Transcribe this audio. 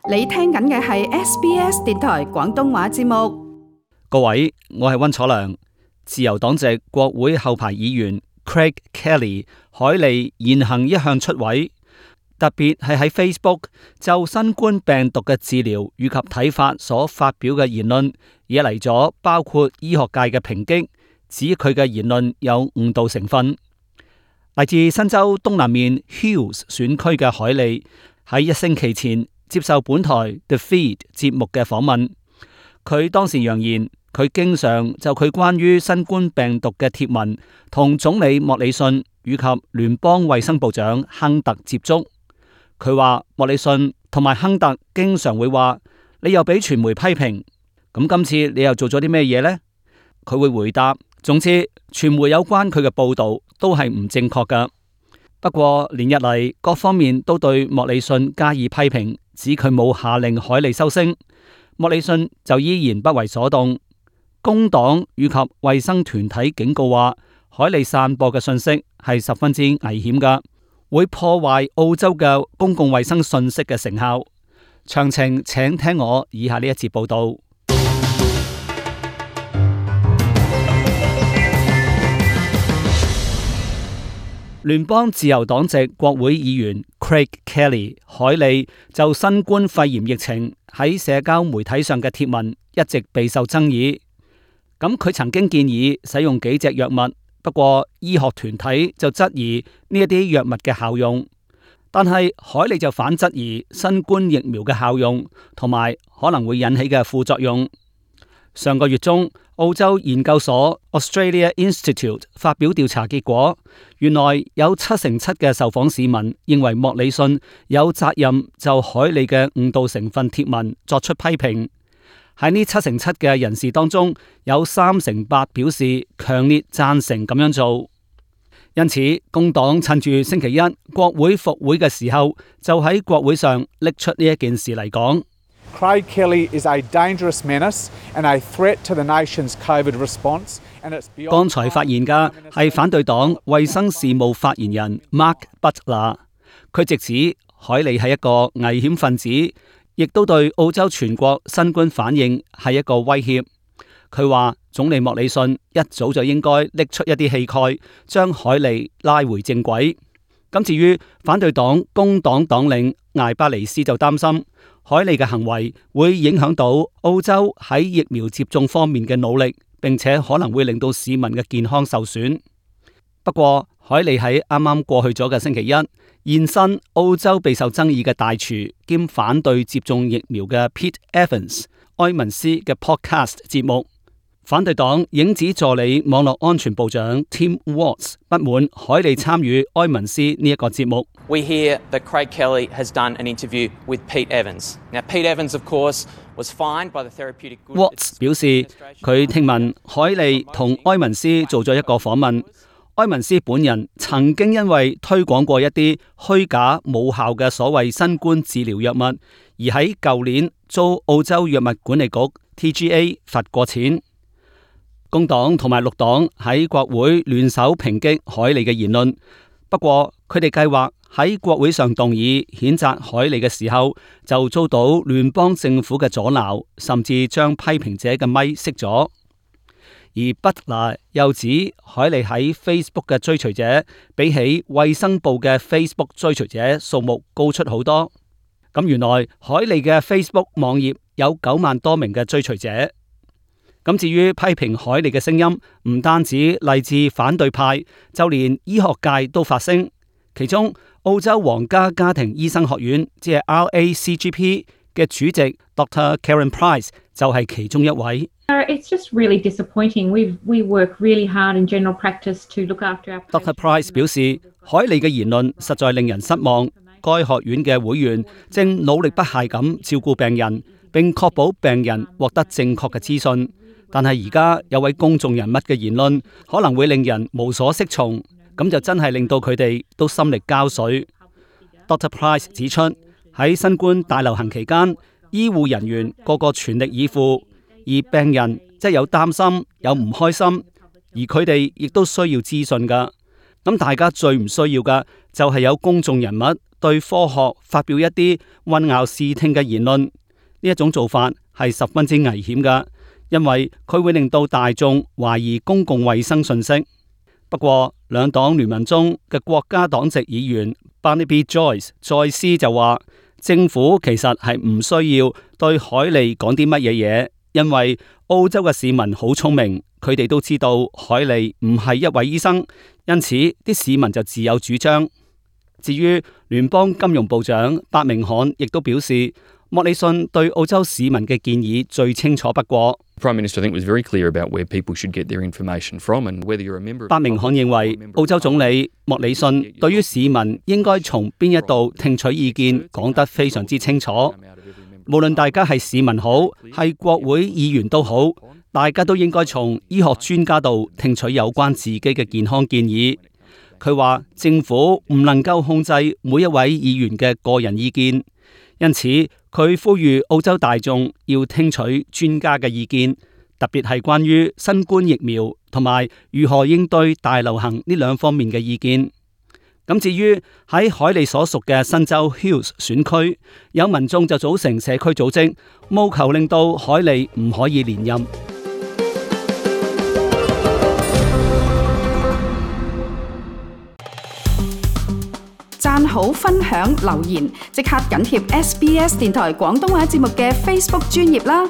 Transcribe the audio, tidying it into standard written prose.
你聽緊嘅係 SBS 電台廣東話節目。各位，我係溫楚良。自由黨籍國會後排議員 Craig Kelly 海利言行一向出位，特別係喺 Facebook 就新冠病毒嘅治療以及睇法所發表嘅言論，惹嚟咗包括醫學界嘅抨擊，指佢嘅言論有誤導成分。嚟自新州東南面 Hills 選區嘅海利喺一星期前接受本台 The Feed 節目嘅訪問，佢當時揚言佢經常就佢關於新冠病毒嘅貼文同總理莫里遜以及聯邦衛生部長亨特接觸。佢話莫里遜同埋亨特經常會話你又俾傳媒批評，咁今次你又做咗啲咩嘢呢？佢會回答，總之傳媒有關佢嘅報道都係唔正確㗎。不過連日嚟各方面都對莫里遜加以批評，指佢冇下令海利收聲，莫里遜就依然不為所動。工黨以及衛生團體警告話，海利散播嘅信息係十分之危險㗎，會破壞澳洲嘅公共衛生信息嘅成效。詳情請聽我以下呢一節報道。聯邦自由黨籍國會議員 Craig Kelly 海利就新冠肺炎疫情喺社交媒體上嘅貼文一直備受爭議。咁佢曾經建議使用幾隻藥物，不過醫學團體就質疑呢一啲藥物嘅效用。但係海利就反質疑新冠疫苗嘅效用同埋可能會引起嘅副作用。上個月中，澳洲研究所 Australia Institute 發表調查結果，原來有7%嘅受訪市民認為莫里遜有責任就海利嘅誤導成分貼文作出批評。喺呢7%嘅人士當中，有3%表示強烈贊成咁樣做。因此，工黨趁住星期一國會復會嘅時候，就喺國會上拎出呢一件事嚟講。Craig Kelly is a dangerous menace and a threat to the nation's COVID response. 剛才發言嘅係反對黨衛生事務發言人 Mark Butler， 佢直指海利係一個危險分子，亦都對澳洲全國新冠反應係一個威脅。佢話總理莫里遜一早就應該拎出一啲氣概，將海利拉回正軌。咁至於反對黨工黨黨領艾巴尼斯就擔心海利嘅行為會影響到澳洲喺疫苗接種方面嘅努力，並且可能會令到市民嘅健康受損。不過海利喺啱啱過去咗嘅星期一現身澳洲備受爭議嘅大廚兼反對接種疫苗嘅 Pete Evans 埃文斯嘅 podcast 節目。反對黨影子助理網絡安全部長 Tim Watts 不滿海利參與埃文斯呢一個節目。We hear that Craig Kelly has done an interview with Pete Evans. Now, Pete Evans, of course, was fined by the Therapeutic Goods Watts 表示，佢聽聞海利同埃文斯做咗一個訪問。埃文斯本人曾經因為推廣過一啲虛假無效嘅所謂新冠治療藥物，而喺舊年遭澳洲藥物管理局 TGA 罰過錢。工黨同埋綠黨喺國會聯手抨擊海利嘅言論，不過佢哋計劃喺國會上動議譴責海利嘅時候，就遭到聯邦政府嘅阻撓，甚至將批評者嘅咪熄咗。而 Butler 又指海利喺 Facebook 嘅追隨者比起衛生部嘅 Facebook 追隨者數目高出好多。咁原來海利嘅 Facebook 網頁有9萬多名嘅追隨者。咁至於批評海利嘅聲音，唔單止嚟自反對派，就連醫學界都發聲。其中，澳洲皇家家庭醫生學院即係 RACGP 嘅主席 Dr. Karen Price 就係其中一位。It's just really disappointing. We work really hard in general practice to look after our Dr. Price 表示，海利嘅言論實在令人失望。該學院嘅會員正努力不懈咁照顧病人，並確保病人獲得正確嘅資訊。但係而家有位公眾人物嘅言論可能會令人無所適從，咁就真係令到佢哋都心力交瘁。Dr. Price 指出，喺新冠大流行期間，醫護人員個個全力以赴，而病人即係有擔心、有唔開心，而佢哋亦都需要資訊㗎。咁大家最唔需要嘅就係有公眾人物對科學發表一啲混淆視聽嘅言論，呢一種做法係十分之危險㗎，因為佢會令到大眾懷疑公共衛生信息。不過，兩黨聯盟中嘅國家黨籍議員 Barnaby Joyce 再思就話，政府其實係唔需要對海利講啲乜嘢嘢，因為澳洲嘅市民好聰明，佢哋都知道海利唔係一位醫生，因此啲市民就自有主張。至於聯邦金融部長伯明翰亦都表示，莫里遜對澳洲市民嘅建議最清楚不過。Prime Minister, I think, was very clear about where people should get their information from and whether you're a member of... 伯明翰認為，澳洲總理莫里遜對於市民應該從邊一度聽取意見講得非常之清楚。無論大家係市民好，係國會議員都好，大家都應該從醫學專家度聽取有關自己嘅健康建議。佢話政府唔能夠控制每一位議員嘅個人意見，因此佢呼籲澳洲大眾要聽取專家嘅意見，特別係關於新冠疫苗同埋如何應對大流行呢兩方面嘅意見。咁至於喺海利所屬嘅新州 Hills 選區，有民眾就組成社區組織，務求令到海利唔可以連任。讚好、分享、留言，即刻緊貼SBS 電台廣東話節目嘅 Facebook 專頁啦！